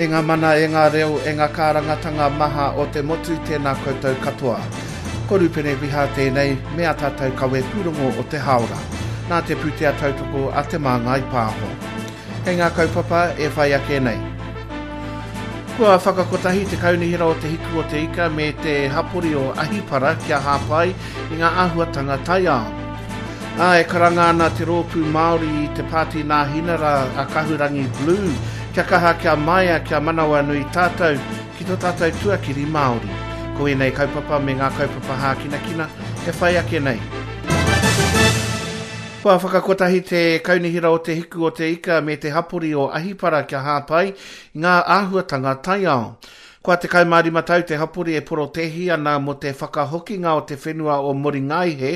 E ngā mana, e ngā reo, e ngā kārangatanga maha o te motu, tēnā koutou katoa. Ko Rupene Riha tēnei, me ā tātou kawe pūrongo o te hāora. Nā te pūtea tautoko a Te Māngai Pāho. Kei ngā kaupapa e whai ake nei. Kua whakakotahi te Kaunihera o Te Hiku o Te Ika me te hapori o Ahipara kia hāpai i ngā āhuatanga taiao. Ā, e karanga ana te rōpū Māori i te pāti Nāhinara a Kahurangi Blue kia kaha, kia maia, kia manawanui tātou ki tō tātou tuakiri Māori. Ko ēnei kaupapa me ngā kaupapa hākinakina e whai ake nei. Kua whakakotahi te Kaunihera o Te Hiku o Te Ika me te hapori o Ahipara kia hāpai i ngā āhuatanga taiao. Kua 15 tau te hapori e porotēhi ana mō te whakahokinga o te whenua o Moringaihe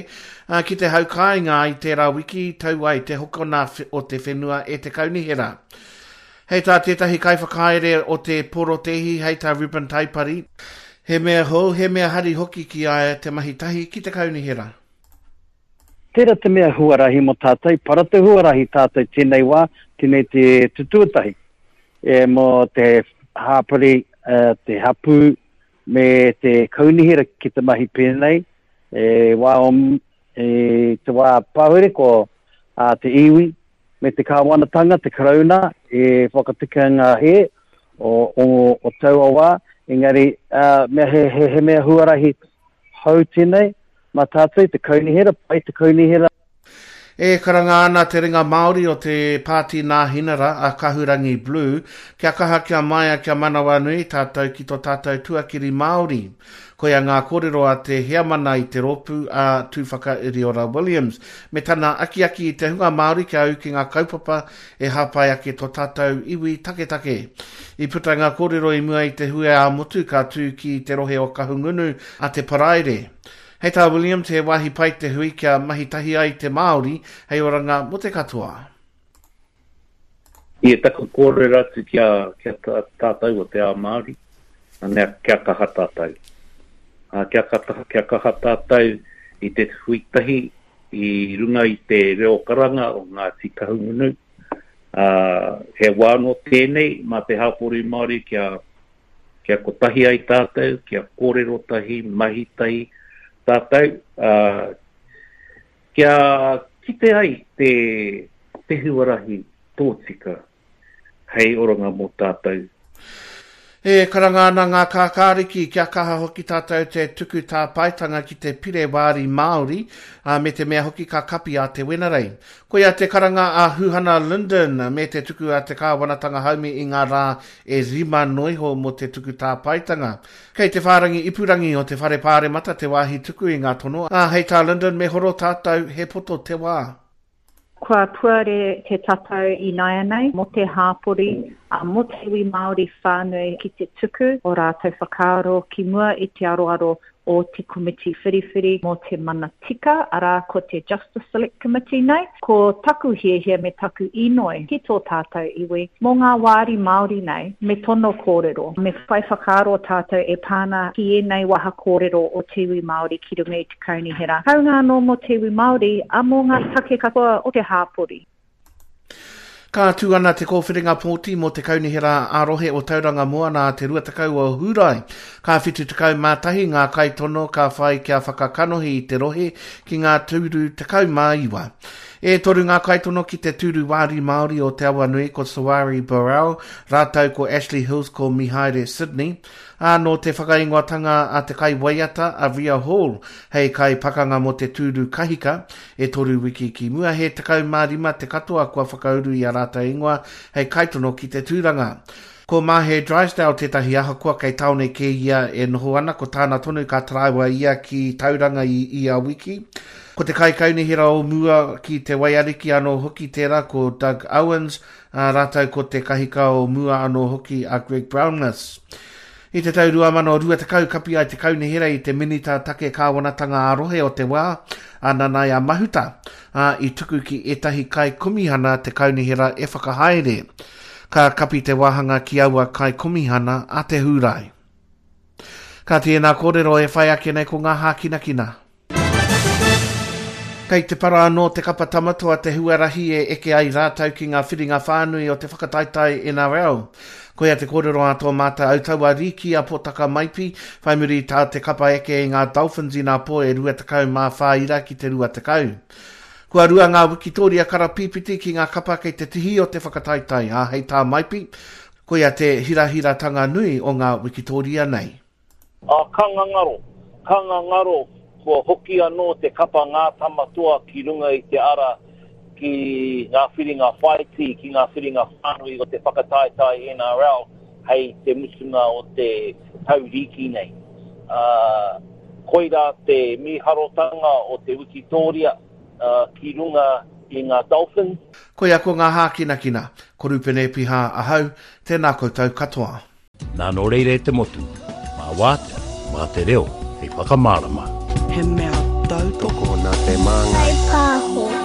ki te hau kāinga i tērā wiki i tau ai te hokona o te whenua e te kaunihera. Hei tā tētahi kaiwhakahaere o te porotēhi hei tā Reuben Taipari, he mea hou, he mea hari hoki ki a ia te mahi tahi ki te kaunihera. Tērā te mea huarahi mō tātou, para te huarahi tātou tēnei wā, tēnei te te tuatahi e mō te hāpori, te hapū me te kaunihera ki te mahi pēnei, e wā o, e te wā pahure ko a te iwi me te kāwanatanga, te karauna, e whakatika ngā hē o, o, o taua wā, engari uh, mea he, he, he mea huarahi hou tēnei, Mā tātou te kaunihera, pai te kaunihera. E karanga ana te ringa Māori o te Pāti Nāhinara a Kahurangi Blue kia kaha kia maia kia manawanui tātou ki to tātou tuakiri Māori. Koia ngā kōrero a te heamana i te rōpū a Tūwhakairiora Williams me tana akiaki i te hunga Māori kia ū ki ngā kaupapa e hāpai ake to tātou iwi taketake. I puta ngā kōrero i mua i te hui ā-motu ka tū ki te rohe o Kahungunu a te Paraire. Hei tā Williams, he wāhi pai te hui kia mahi tahi ai te Māori hei oranga mō te katoa. I taku kōrero atu ki a, ki a tātou o te ao Māori, anea, kia kaha tātou. Ā, kia kaha, kia kaha tātou i te hui tahi i runga i te reo karanga o Ngāti Kahungunu. Ā, he wā anō tēnei mā te hapori Māori kia kia kotahi ai tātou, kia kōrero tahi, mahi tahi tātou, ā, kia kite ai te, te huarahi tōtika hei oranga mō tātou. E karanga ana ngā kākāriki kia kaha hoki tātou te tuku tāpaetanga ki te pire wāri Māori, ā, me te mea hoki ka kapi a Te Wenerei. Koia te karanga a Huhana Lyndon me te tuku a te kāwanatanga haumi i ngā rā e rima noa iho mō te tuku tāpaetanga. Kei te whārangi ipurangi o te Whare Pāremata te wāhi tuku i ngā tono, ā, hei tā Lyndon me horo tātou, he poto te wā. Kua puare te tatau ināianei mō te hāpori, ā, mō te iwi Māori whānui ki te tuku o rātou whakaaro ki mua i te aroaro o te komiti whiriwhiri mō te mana tika, arā, ko te Justice Select Committee nei. Ko taku hiahia me taku inoi ki tō tātou iwi, mō ngā wāri Māori nei, me tono kōrero, me whai whakaaro tātou e pā ana ki ēnei waha kōrero o te iwi Māori ki runga i te kaunihera. Hāunga anō mō te iwi Māori, ā, mō ngā take katoa o te hāpori. Ka tū ana te kōwhiringa pōti mō te Kaunihera ā-Rohe o Tauranga Moana a te 20 o Hūrae. Ka 71 ngā kaitono ka whai kia whakakanohi i te rohe ki ngā tūru 19. E toru ngā kaitono ki te tūru wāri Māori o Te Awanui ko Sawari Burrell rātou ko Ashley Hills ko Mihaere Sydney. Ā, nō te whakaingoatanga a te kaiwaiata a Ria Hall hei kaipakanga mō te tūru kahika, E toru wiki ki mua, he 15 te katoa kua whakauru i a rātou ingoa hei kaitono ki te tūranga. Ko Mahe Drysdale tētahi ahakoa kei tāone kē ia e noho ana, ko tāna tonu ka taraiwa ia ki Tauranga i ia wiki. Ko te kaikaunihera o mua ki Te Waiariki anō hoki tērā ko Doug Owens, ā, rātou ko te kahika o mua anō hoki a Greg Brownless. I te tau 2020 kapi ai te kaunihera i te Minita Take Kāwanatanga ā-Rohe o te wā, a Nanaia Mahuta, ā, i tuku ki ētahi kaikomihana te kaunihera e whakahaere. Ka kapi te wāhanga ki aua kaikomihana a te Hūrae. Ka tēnā kōrero e whai ake nei ko ngā hākinakina. Kei te para anō te kapa Tamatoa te huarahi e eke ai rātou ki ngā whiringa whānui o te whakataetae NRL. Koia te kōrero a tō mātou autaua rīki a Potaka Maipi, whai muri i tā te kapa eke i ngā Dolphins inapō e 24 ira ki te 20. Kua rua ngā wikitōria karapīpiti ki ngā kapa kei te tihi o te whakataetae, ā, hei tā Maipi, koia te hirahiratanga nui o ngā wikitōria nei. Ā, ka ngangaro, ka ngangaro, kua hoki anō te kapa Ngā Tama Toa ki runga i te ara ki ngā whiringa whāiti, ki ngā whiringa whānui o te whakataetae NRL hei te mutunga o te tau rīki nei. Ā, koirā te mīharotanga o te wikitōria ki runga i ngā Dolphins. Koia ko ngā hākinakina. Ko Rupene Piha ahau, tēnā koutou katoa. Nā nō reira e te motu, mā wātea, mā te reo hei whakamārama. He mea tautoko. Tokona te māngai. Whai pāho.